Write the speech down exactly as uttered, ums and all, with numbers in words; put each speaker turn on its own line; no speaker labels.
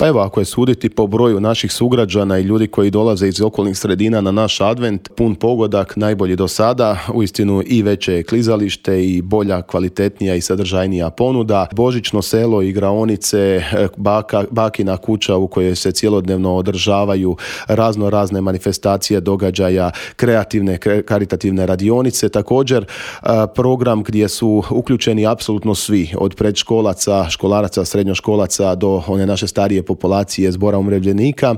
Pa evo, ako je suditi po broju naših sugrađana i ljudi koji dolaze iz okolnih sredina na naš advent, pun pogodak, najbolji do sada, uistinu i veće je klizalište i bolja, kvalitetnija i sadržajnija ponuda. Božićno selo, igraonice, baka, bakina kuća u kojoj se cjelodnevno održavaju razno razne manifestacije događaja, kreativne, karitativne radionice, također program gdje su uključeni apsolutno svi, od predškolaca, školaraca, srednjoškolaca do one naše starije populacije, zbora umirovljenika.